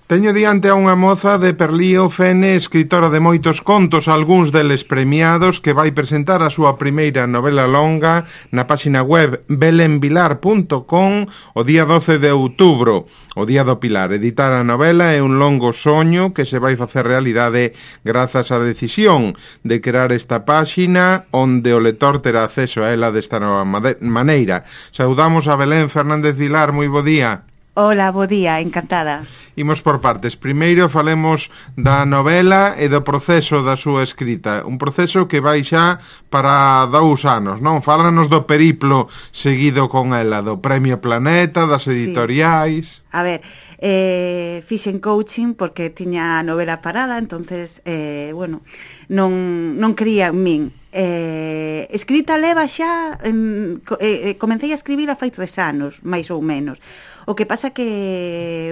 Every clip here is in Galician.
Teño diante a unha moza de Perlío Fene, escritora de moitos contos, algúns deles premiados, que vai presentar a súa primeira novela longa na páxina web belenvilar.com o día 12 de outubro, o Día do Pilar. Editar a novela é un longo soño que se vai facer realidade grazas á decisión de crear esta páxina onde o lector terá acceso a ela desta nova maneira. Saudamos a Belén Fernández Vilar, moi bo día. Hola, bo día, encantada. Imos por partes. Primeiro falemos da novela e do proceso da súa escrita. Un proceso que vai xa para 2 anos, non? Fálanos do periplo seguido con ela, do Premio Planeta, das editoriais... Sí. A ver, fixen coaching porque tiña a novela parada, entonces, non creía en min. Escrita leva xa, comecei a escribir a fai 3 anos, máis ou menos. O que pasa que,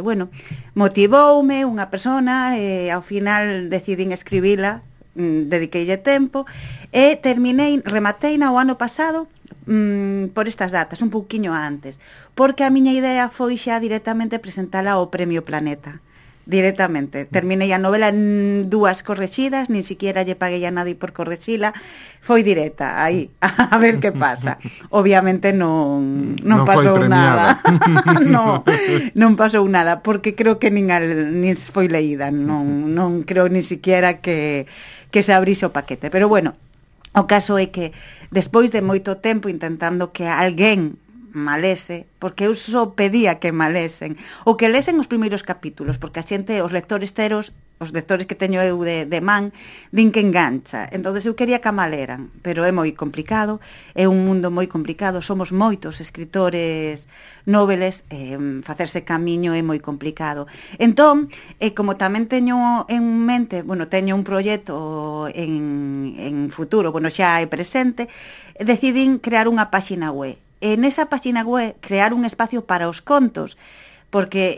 motivoume unha persona e ao final decidín escribila, dediqueille tempo e remateina o ano pasado por estas datas, un pouquiño antes, porque a miña idea foi xa directamente presentala ao Premio Planeta. Directamente. Terminei a novela en 2 correxidas, nin siquiera lle paguei a nadie por correxila, foi directa, aí, a ver que pasa. Obviamente non pasou nada. non pasou nada, porque creo que nin foi leída, non creo ni siquiera que se abrise o paquete. Pero bueno, o caso é que despois de moito tempo intentando que alguén malese, porque eu só pedía que malesen, ou que lesen os primeiros capítulos, porque a xente, os lectores que teño eu de man, din que engancha. Entonces eu quería que a maleran, pero é moi complicado, é un mundo moi complicado, somos moitos escritores noveles, facerse camiño é moi complicado. Entón, como tamén teño en mente, teño un proxecto en futuro, xa é presente, decidín crear unha páxina web. En esa páxina web crear un espacio para os contos, porque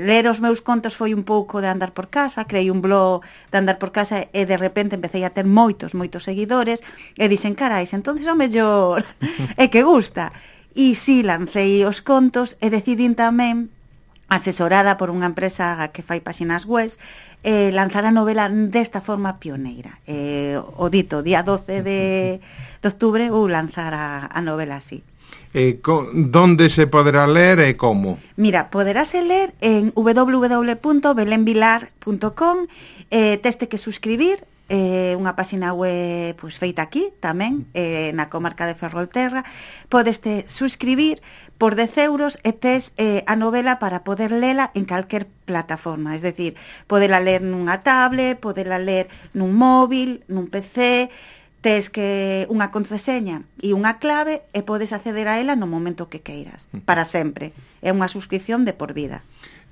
ler os meus contos foi un pouco de andar por casa, creei un blog de andar por casa e de repente empecé a ter moitos seguidores e dixen, carais, entonces ao mellor é que gusta. E si, lancei os contos e decidín tamén, asesorada por unha empresa que fai páxinas web, lanzar a novela desta forma pioneira. O dito, día 12 de octubre, vou lanzar a novela así. Donde se poderá ler e como? Mira, poderase ler en www.belenvilar.com, teste que suscribir, unha páxina web feita aquí tamén, na comarca de Ferrolterra. Podeste suscribir por 10 euros e tes a novela para poder lela en calquer plataforma, es decir, podela ler nunha tablet, podela ler nun móvil, nun PC, tes que unha contraseña e unha clave e podes acceder a ela no momento que queiras, para sempre. É unha suscripción de por vida.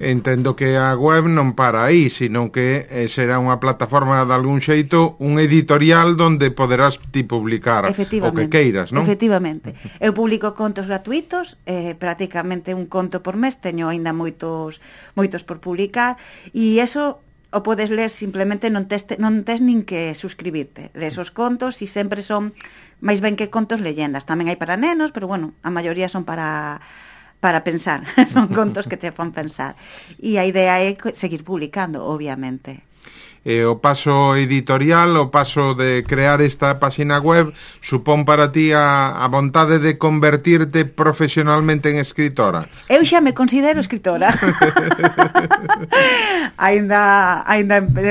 Entendo que a web non para aí, sino que será unha plataforma de algún xeito, un editorial onde poderás ti publicar o que queiras, non? Efectivamente. Eu publico contos gratuitos, prácticamente un conto por mes, teño aínda moitos por publicar, e eso o podes ler simplemente, non tes nin que suscribirte. Lees os contos e sempre son máis ben que contos leyendas. Tamén hai para nenos, pero a maioría son para pensar. Son contos que te fan pensar. E a idea é seguir publicando, obviamente. O paso editorial, o paso de crear esta páxina web, supón para ti a vontade de convertirte profesionalmente en escritora? Eu xa me considero escritora. Ainda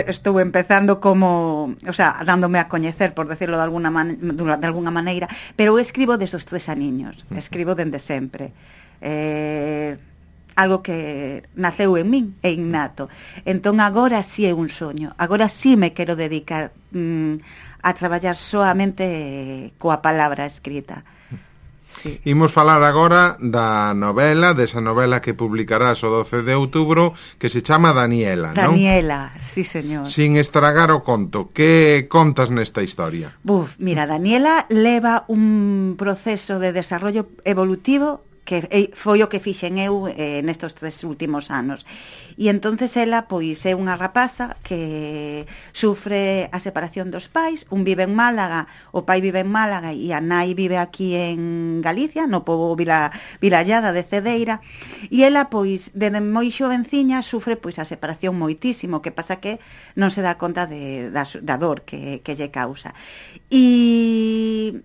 estou empezando dándome a coñecer, por decirlo de alguna maneira, pero eu escribo desde os 3 aniños, escribo dende sempre. Algo que naceu en min, é innato. Entón agora sí é un soño, agora sí me quero dedicar a traballar soamente coa palabra escrita. Sí. Imos falar agora da novela, desa novela que publicarás o 12 de outubro, que se chama Daniela, non? Daniela, sí, señor. Sin estragar o conto, que contas nesta historia? Mira, Daniela leva un proceso de desarrollo evolutivo foi o que fixen eu nestos 3 últimos anos. E entonces ela pois é unha rapaza que sufre a separación dos pais, un vive en Málaga, o pai vive en Málaga e a nai vive aquí en Galicia, no pobo Vilallada de Cedeira, e ela pois desde moi xovenciña sufre pois a separación moitísimo, que pasa que non se dá conta da dor que lle causa. E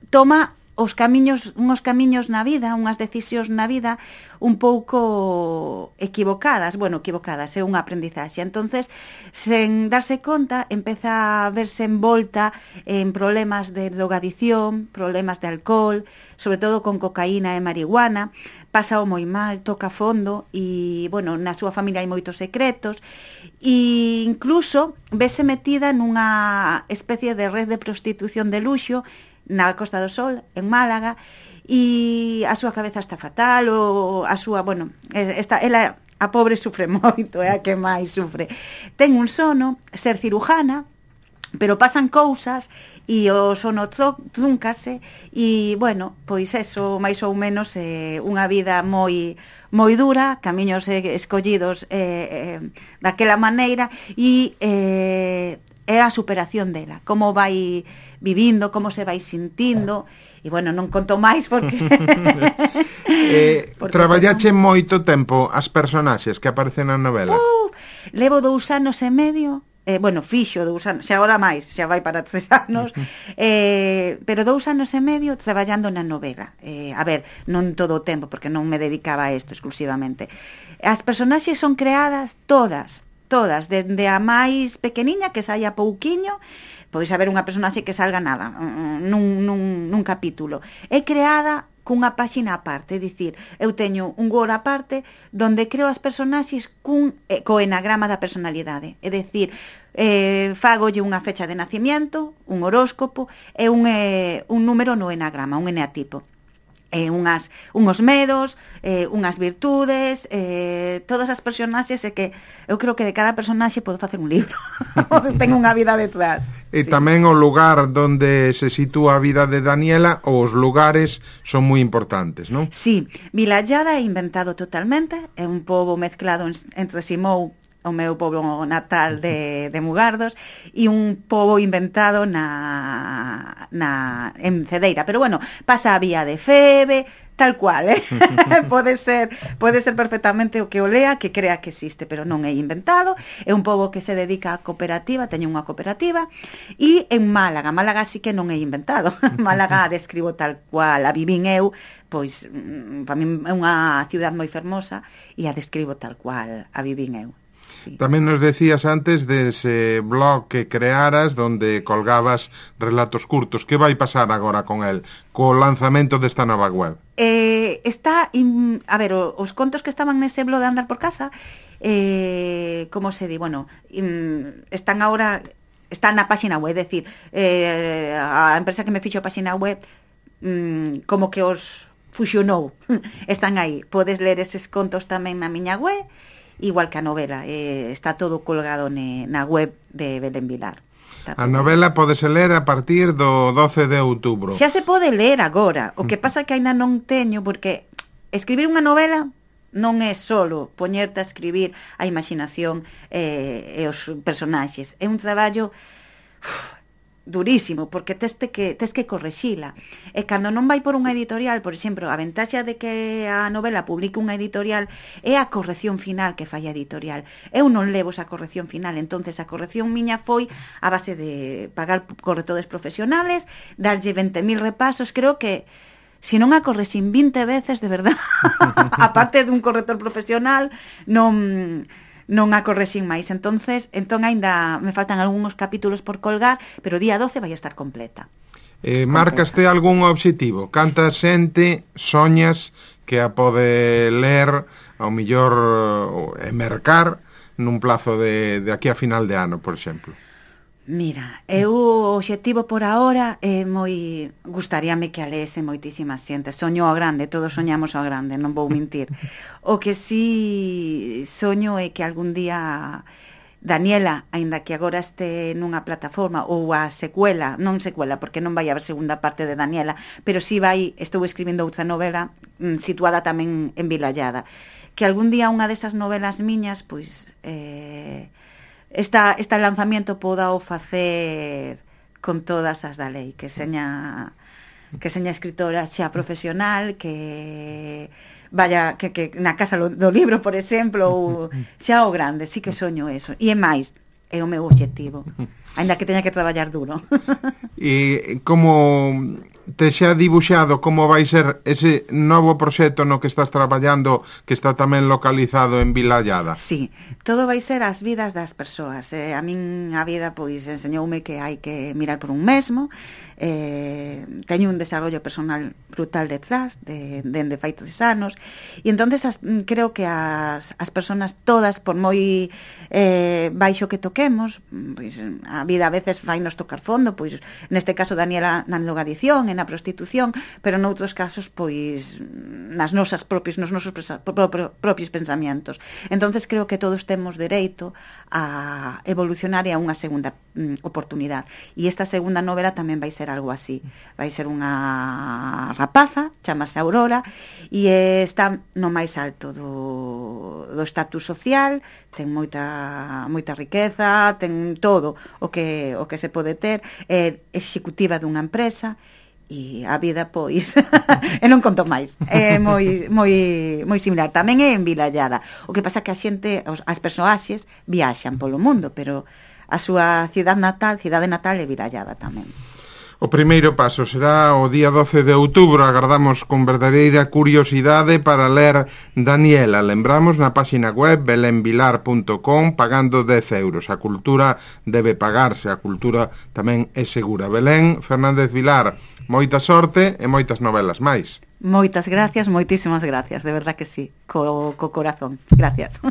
toma unhos camiños na vida, unhas decisións na vida un pouco equivocadas, é unha aprendizaxe. Entonces, sen darse conta, empeza a verse envolta en problemas de drogadicción, problemas de alcohol, sobre todo con cocaína e marihuana, pasa moi mal, toca fondo e, na súa familia hai moitos secretos e incluso vese metida nunha especie de red de prostitución de luxo na Costa do Sol, en Málaga, e a súa cabeza está fatal, ou a súa, ela, a pobre sufre moito, é a que máis sufre. Ten un sono, ser cirujana, pero pasan cousas e o sono trúncase e, pois eso, máis ou menos unha vida moi dura, camiños escollidos daquela maneira e é a superación dela, como vai vivindo, como se vai sintindo e non conto máis porque traballache moito tempo as personaxes que aparecen na novela. Levo 2 anos e medio, fixo 2 anos, xa agora máis, xa vai para 3 anos, pero 2 anos e medio traballando na novela. A ver, non todo o tempo, porque non me dedicaba a isto exclusivamente. As personaxes son creadas todas, desde a máis pequeniña que saia pouquiño, pois haber unha personaxe que salga nada nun capítulo. É creada cunha páxina aparte, é dicir, eu teño un Word aparte donde creo as personaxes co enagrama da personalidade, é dicir, fagolle unha fecha de nacimiento, un horóscopo e un número no enagrama, un eneatipo. Unhos medos, unhas virtudes, todas as personaxes, é que eu creo que de cada personaxe podo facer un libro. Ten unha vida detrás. E tamén o lugar donde se sitúa a vida de Daniela, os lugares son moi importantes, non? Sí, Vilallada é inventado totalmente, é un pobo mezclado entre Simou, o meu pobo natal de Mugardos, e un pobo inventado en Cedeira, pero pasa a vía de Febe, tal cual, pode ser perfectamente o que o lea, que crea que existe, pero non é inventado. É un pobo que se dedica a cooperativa, teño unha cooperativa, e en Málaga sí que non é inventado. Málaga a describo tal cual, a vivín eu, pois para min é unha ciudad moi fermosa e a describo tal cual, a vivín eu. Sí. Tamén nos decías antes dese blog que crearas donde colgabas relatos curtos. Que vai pasar agora con el, co lanzamento desta nova web? Os contos que estaban nese blog de Andar por Casa, como se di, están agora, están na páxina web, é dicir, a empresa que me fixo a páxina web como que os fusionou, están aí. Podes ler eses contos tamén na miña web, igual que a novela, está todo colgado na web de Belén Vilar. A novela podese ler a partir do 12 de outubro. Xa se pode ler agora, o que pasa que aínda non teño, porque escribir unha novela non é solo poñerte a escribir a imaginación e os personaxes, é un traballo durísimo, porque tes que correxila. E cando non vai por unha editorial, por exemplo, a ventaxa de que a novela publique unha editorial é a corrección final que fai a editorial. Eu non levo esa corrección final, entonces a corrección miña foi a base de pagar correctores profesionales, darlle 20.000 repasos. Creo que se non a correxín 20 veces, de verdad, aparte dun corrector profesional, non a correxín máis. Entón aínda me faltan algúns capítulos por colgar, pero día 12 vai estar completa. Marcaste algún obxectivo? Canta xente soñas que a pode ler, ao millor mercar nun plazo de aquí a final de ano, por exemplo? Mira, o obxectivo por ahora é gustaríame que a leese moitísima xente. Soño ao grande, todos soñamos ao grande, non vou mentir. O que sí soño é que algún día Daniela, aínda que agora este nunha plataforma, ou a secuela, non secuela, porque non vai haber segunda parte de Daniela, pero si estou escribindo outra novela situada tamén en Vilallada, que algún día unha desas novelas miñas, pois, este lanzamiento poda o facer con todas as da lei, que seña escritora xa profesional, que vaya, que na casa do libro, por exemplo, ou xa o grande, sí que soño eso. E é máis, é o meu obxectivo, aínda que teña que traballar duro. E como te xa dibuixado como vai ser ese novo proxecto no que estás traballando, que está tamén localizado en Vilallada? Sí, todo vai ser as vidas das persoas. A min a vida pois enseñoume que hai que mirar por un mesmo. Teño un desarrollo personal brutal detrás dende fai 3 anos, e entonces creo que as persoas todas, por moi baixo que toquemos, pois a vida a veces fainos tocar fondo, pois neste caso Daniela na drogadición, na prostitución, pero noutros casos pois nos nosos propios pensamientos. Entonces creo que todos temos dereito a evolucionar e a unha segunda oportunidade, e esta segunda novela tamén vai ser algo así. Vai ser unha rapaza, chamase Aurora, e está no máis alto do estatus social, ten moita riqueza, ten todo o que se pode ter, é executiva dunha empresa, e a vida, pois, e non conto máis, é moi similar. Tamén é en Vilallada. O que pasa que a xente, as persoaxes viaxan polo mundo, pero a súa cidade natal é Vilallada tamén. O primeiro paso será o día 12 de outubro. Agardamos con verdadeira curiosidade para ler Daniela. Lembramos na páxina web belenvilar.com, pagando 10 euros. A cultura debe pagarse, a cultura tamén é segura. Belén Fernández Vilar, moita sorte e moitas novelas máis. Moitas gracias, moitísimas gracias, de verdad que sí, co corazón. Gracias.